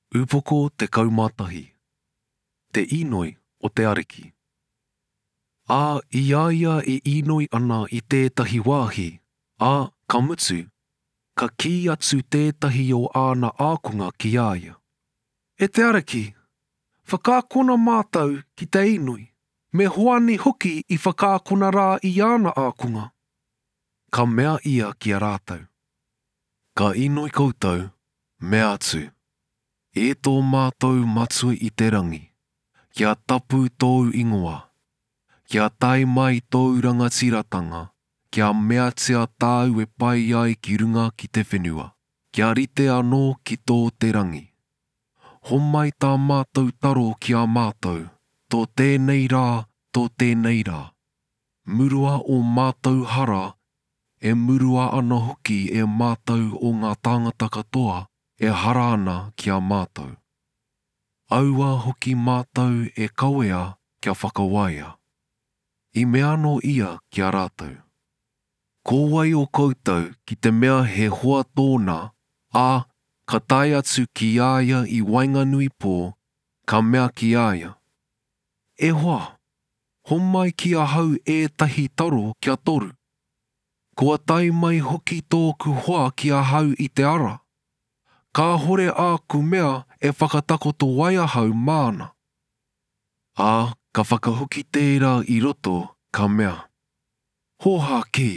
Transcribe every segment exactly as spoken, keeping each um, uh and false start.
Upoko tekau mā tahi. Te Inoi o te Ariki. Ā, i a ia e inoi ana i tētahi wāhi, ā, ka mutu, ka kī atu tētahi o āna ākonga ki a ia. E te Ariki, whakaakona mātou ki te inoi, me Hoani hoki i whakaakona rā i āna ākonga. Ka mea ia ki a rātou. Ka inoi koutou, mea atu, E tō mātou Matua i te rangi, kia tapu tōu ingoa, kia tae mai tōu rangatiratanga, kia meatia tāu e pai ai ki runga ki te whenua, kia rite anō ki tō te rangi. Homai tā mātou taro ki a mātou, tō tēnei rā, tō tēnei rā. Murua o mātou hara, e murua ana hoki e mātou o ngā tāngata katoa e hara ana ki a mātou. Aua hoki mātou e kawea kia whakawaia. I mea anō ia ki a rātou. Ko wai o koutou ki te mea he hoa tōna, ā, ka tae atu ki a ia i waenganui pō, ka mea ki a ia. E hoa, homai ki ahau ētahi taro kia toru. Kua tae mai hoki tōku hoa ki ahau i te ara. Kāhore āku mea e whakatakoto ai ahau māna. Ā, ka whakahoki tērā i roto, ka mea. Hōhā kī,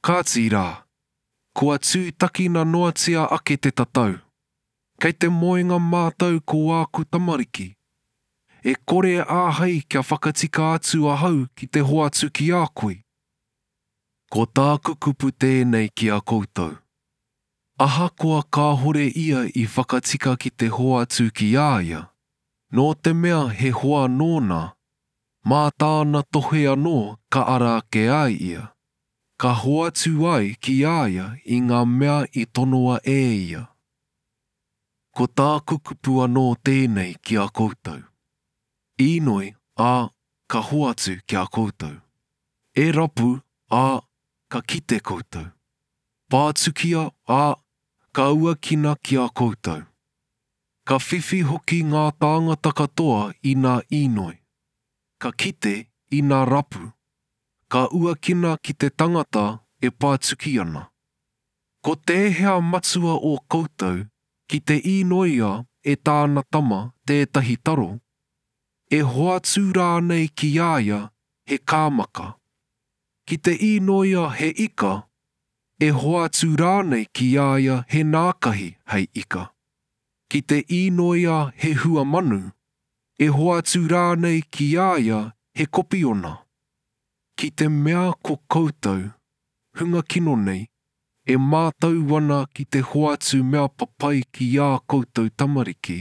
kāti rā, kua tūtakina noatia ake te tatau. Kei te moenga mātou ko āku tamariki. E kore āhei kia whakatika atu ahau ki te hoatu ki a koe. Ko tāku kupu tēnei ki a koutou. Ahakoa kāhore ia i whakatika ki te hoatu ki a ia, nō te mea he hoa nōna, mā tāna tohe anō ka ara ake ai ia, ka hoatu ai ki a ia i ngā mea i tonoa e ia. Ko tāku kupu anō tēnei ki a koutou. Inoi, ā, ka hoatu ki a koutou. E rapu, ā, ka kite koutou. Pātukia, ā, ka uakina ki a koutou. Ka whiwhi hoki ngā tāngata katoa i nā inoi. Ka kite i nā rapu. Ka uakina ki te tangata e pātuki ana. Ko tēhea matua o koutou ki te inoia e tāna tama tētahi taro, e hoatu rānei ki a ia he kāmaka. Ki te inoia he ika, e hoatu rānei ki a ia he nākahi hei ika. Ki te inoia he hua manu, e hoatu rānei ki a ia he kopiona. Ki te mea ko koutou, hunga kino nei, e mātau ana ki te hoatu mea papai ki ā koutou tamariki,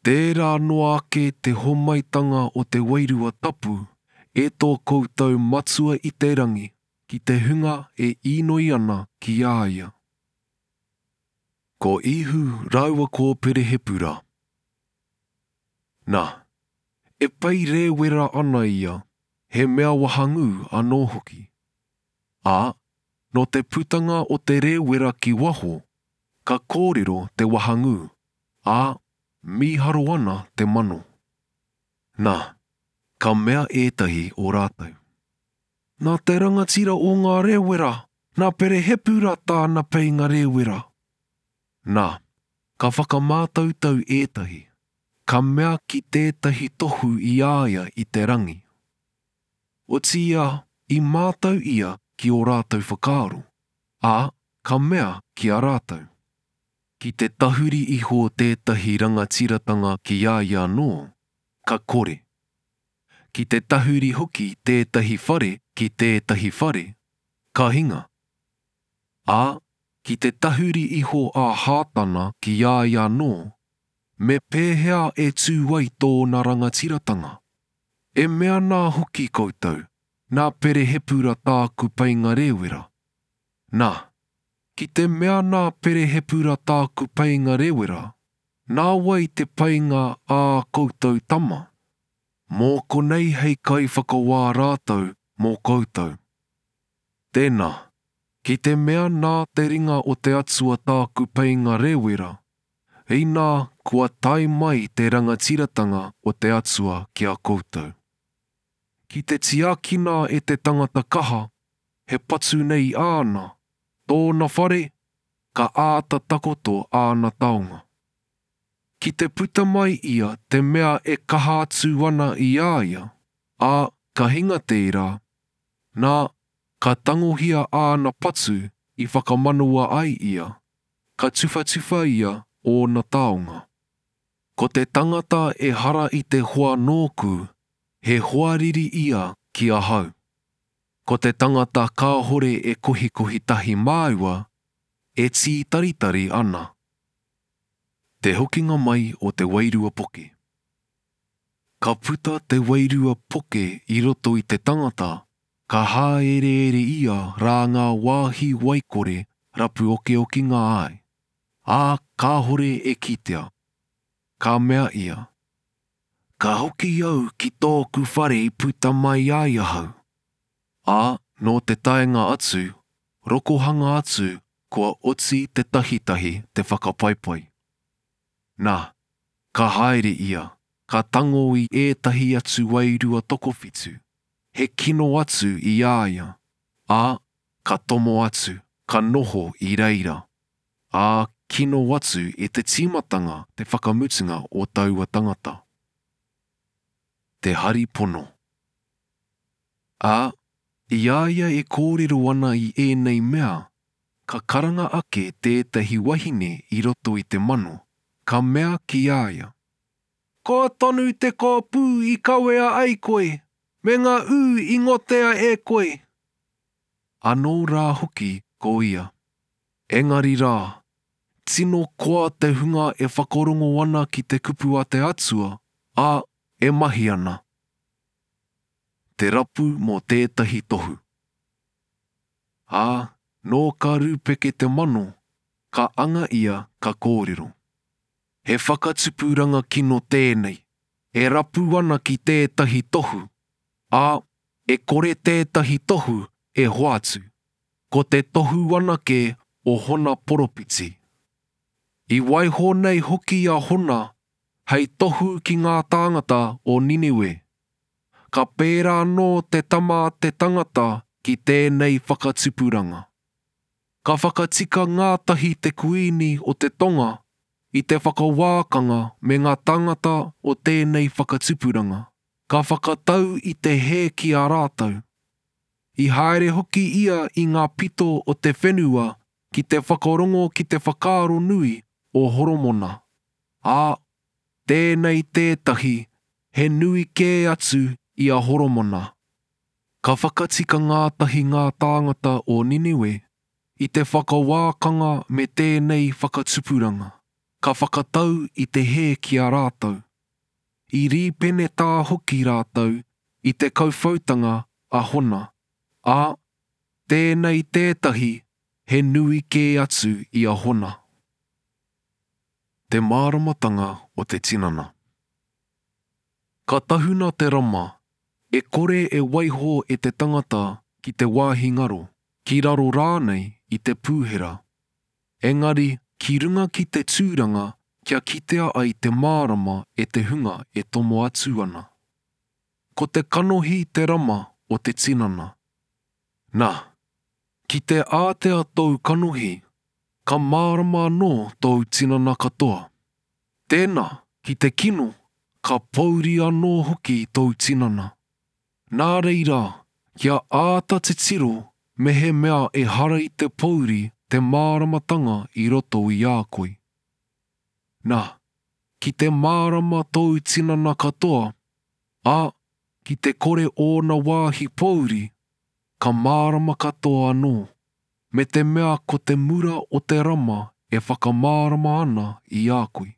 tērā noa ake te homaitanga o te wairua tapu e tō koutou Matua i te rangi ki te hunga e inoi ana ki a ia. Ko Ihu rāua ko Perehepura. Nā, e pei rēwera ana ia, he mea wahangū anō hoki. Ā, nō te putanga o te rēwera ki waho, ka kōrero te wahangū, ā, mīharo ana te mano. Nā, ka mea ētahi o rātou. Nā te rangatira o ngā rēwera, nā Perehepura tāna peinga rēwera. Nā, ka whakamātautau ētahi, ka mea ki tētahi tohu i a ia i te rangi. Otiia, i mātau ia ki ō rātou whakaaro, ā, ka mea ki a rātou. Ki te tahuri iho tētahi rangatiratanga ki a ia anō, ka kore. Ki te tahuri hoki tētahi whare ki tētahi whare, ka hinga. Ā, ki te tahuri iho a Hātana ki a ia anō, me pēhea e tū ai tōna rangatiratanga? E mea nā hoki koutou, nā Perehepura tāku peinga rēwera. Nā, ki te mea nā Perehepura tāku peinga rēwera, nā wai te peinga ā koutou tama? Mō konei hei kaiwhakawā rātou mō koutou. Tēnā, ki te mea nā te ringa o te Atua tāku peinga rēwera, inā kua tae mai te rangatiratanga o te Atua ki a koutou. Ki te tiakina e te tangata kaha, he patu nei āna, tōna whare, ka āta takoto āna taonga. Ki te puta mai ia te mea e kaha atu ana i a ia, ā, ka hinga tērā, nā, ka tangohia āna patu i whakamanawa ai ia, ka tuwhatuwha ia ōna taonga. Ko te tangata ehara i te hoa nōku, he hoariri ia ki ahau. Ko te tangata kāhore e kohikohi tahi māua, e tītaritari ana. Te hokinga mai o te wairua poke. Ka puta te wairua poke i roto i te tangata, ka hāereere ia rā ngā wāhi waikore rapu okeokinga ai, ā, kāhore e kitea. Ka mea ia, Ka hoki au ki tōku whare i puta mai ai ahau. Ā, nō te taenga atu, rokohanga atu kua oti te tahitahi te whakapaipai. Nā, ka haere ia, ka tango i ētahi atu wairua tokowhitu, he kino atu i a ia, ā, ka tomo atu, ka noho i reira, ā, kino atu i te tīmatanga te whakamutunga o taua tangata. Te hari pono. Ā, i a ia e kōrero ana i ēnei mea, ka karanga ake tētahi wahine i roto i te mano, ka mea ki a ia, Koa tonu te kōpū i kawea ai koe, me ngā ū i ngotea e koe. Anō rā hoki ko ia. Engari rā, tino koa te hunga e whakarongo ana ki te kupu a te Atua, ā, e mahi ana. Te rapu mō tētahi tohu. Ā, nō ka rūpeke te mano, ka anga ia ka kōrero. He whakatupuranga kino tēnei, e rapu ana ki tētahi tohu, ā, e kore tētahi tohu e hoatu, ko te tohu anake o Hona poropiti. I waiho nei hoki a Hona hei tohu ki ngā tāngata o Niniwe. Ka pērā anō te tama a te tangata ki tēnei whakatupuranga. Ka whakatika ngātahi te kuini o te tonga i te whakawākanga me ngā tāngata o tēnei whakatupuranga. Ka whakatau i te hē ki a rātou. I haere hoki ia i ngā pito o te whenua ki te whakarongo ki te whakaaro nui o Horomona. Ā, tēnei tētahi he nui kē atu i a Horomona. Ka whakatika ngātahi ngā tāngata o Niniwe i te whakawākanga me tēnei whakatupuranga, ka whakatau i te hē ki a rātou. I rīpenetā hoki rātou i te kauwhautanga a Hona, ā, tēnei tētahi he nui kē atu i a Hona. Te māramatanga o te tinana. Ka tahuna te rama, e kore e waiho e te tangata ki te wāhi ngaro, ki raro rānei i te pūhera. Engari, ki runga ki te tūranga kia kitea ai te mārama e te hunga e tomo atu ana. Ko te kanohi te rama o te tinana. Nā, ki te ātea tōu kanohi, ka mārama anō tōu tinana katoa. Tēnā, ki te kino, ka pōuri anō hoki tōu tinana. Nā reira, kia āta titiro mehemea ehara i te pōuri te māramatanga i roto i a koe. Nā, ki te mārama tōu tinana katoa, ā, ki te kore ōna wāhi pōuri, ka mārama katoa anō, me te mea ko te mura o te rama e whakamārama ana i a koe.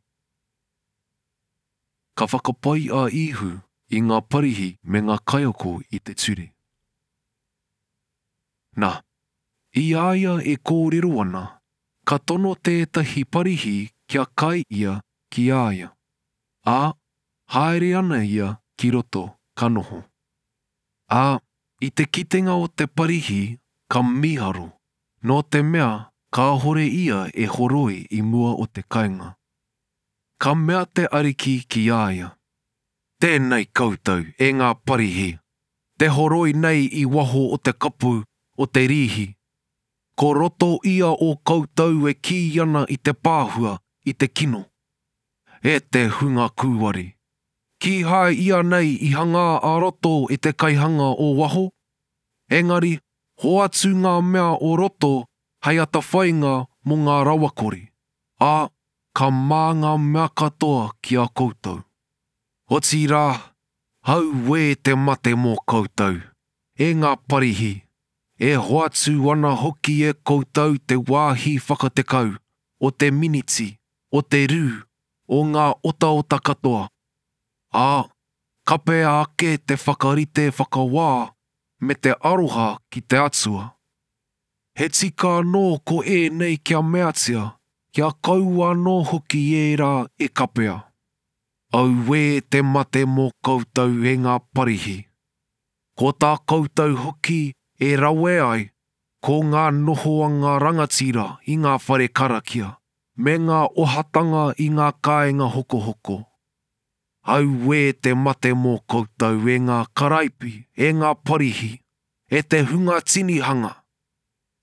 Ka whakapai a Īhu i ngā Parihi me ngā kaiako i te ture. Nā, i a ia e kōrero ana, ka tono tētahi Parihi kia kai ia ki a ia. Ā, haere ana ia ki roto, ka noho. Ā, i te kitenga o te Parihi, ka mīharo, nō te mea kāhore ia e horoi i mua o te kainga. Ka mea te Ariki ki a ia, Tēnei koutou, e ngā Parihi, te horoi nei i waho o te kapu o te rīhi. Ko roto ia o koutou e kī ana i te pāhua, i te kino. E te hunga kūware! Kīhai ianei i hangā a roto e te kaihanga o waho? Engari, hoatu ngā mea o roto hei atawhainga mō ngā rawakore, ā, ka mā ngā mea katoa ki a koutou. Otirā, auē te mate mō koutou, e ngā Parihi, e hoatu ana hoki e koutou te wāhi whakatekau, o te miniti, o te rū, o ngā otaota katoa, ā, kapea ake te whakarite whakawā me te aroha ki te Atua. He tika anō ko ēnei kia meatia, kia kaua anō hoki ērā e kapea. Auē te mate mō koutou e ngā Parihi! Ko tā koutou hoki e rawe ai, ko ngā nohoanga rangatira i ngā whare karakia, me ngā ohatanga i ngā kāinga hokohoko. Auē te mate mō koutou e ngā karaipi, e ngā Parihi, e te hunga tinihanga!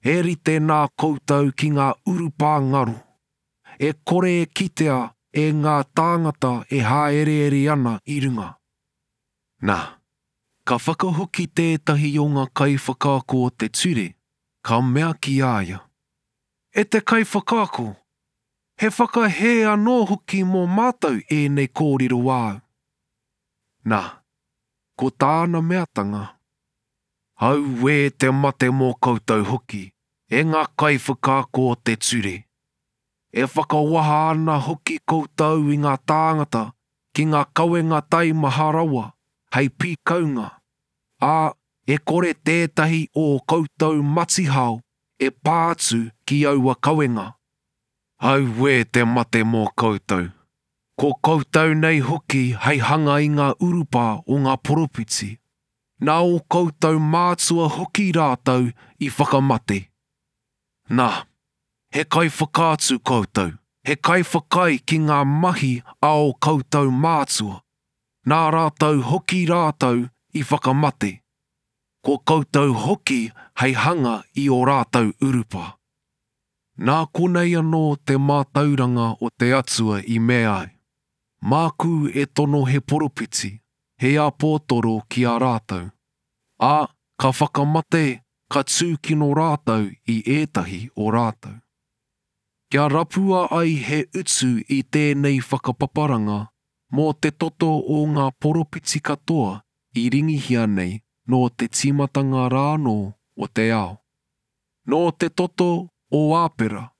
He rite nā koutou ki ngā urupā ngaro, e kore e kitea e ngā tāngata e hāereere ana i runga. Nā, ka whakahoki tētahi o ngā kaiwhakaako o te ture, ka mea ki a ia, E te Kaiwhakaako, he whakahē anō hoki mō mātou ēnei kōrero āu. Nā, ko tāna meatanga, Auē te mate mō koutou hoki, e ngā kaiwhakaako o te ture! E whakawaha ana hoki koutou i ngā tāngata ki ngā kawenga taimaha rawa hei pīkaunga, ā, e kore tētahi o ō koutou matihao e pā atu ki aua kawenga. Auē te mate mō koutou! Ko koutou nei hoki hei hanga i ngā urupā o ngā poropiti, nā ō koutou mātua hoki rātou i whakamate. Nā, he kaiwhakaatu koutou, he kaiwhakaae ki ngā mahi a ō koutou mātua, nā rātou hoki rātou i whakamate, ko koutou hoki hei hanga i ō rātou urupā. Nā konei anō te mātauranga o te Atua i mea ai, Māku e tono he poropiti, he āpōtoro ki a rātou, ā, ka whakamate, ka tūkino rātou i ētahi o rātou. Kia rapua ai he utu i tēnei whakapaparanga mō te toto o ngā poropiti katoa i ringihia nei nō te tīmatanga rānō o te ao. Nō te toto o Āpera,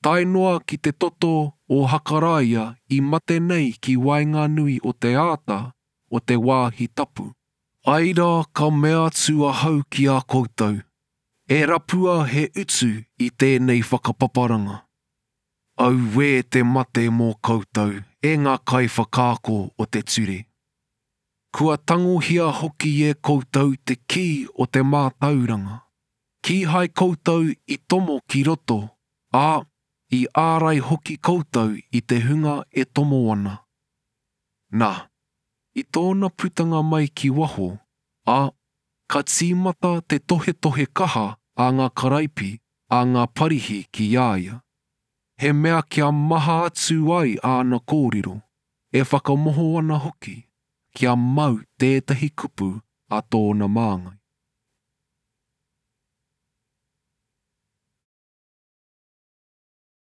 tae noa ki te toto o Hakaraia i mate nei ki waenganui o te āta o te wāhi tapu. Ai rā ka mea atu ahau ki a koutou, e rapua he utu i tēnei whakapaparanga. Auē te mate mō koutou, e ngā kaiwhakaako o te ture! Kua tangohia hoki e koutou te kī o te mātauranga. Kīhai koutou i tomo ki roto, ā, i ārai hoki koutou i te hunga e tomo ana. Nā, i tōna putanga mai ki waho, ā, ka tīmata te tohetohe kaha a ngā karaipi, a ngā Parihi ki a ia, he mea kia maha atu ai āna kōrero, e whakamoho ana hoki, kia mau tētahi kupu a tōna māngai.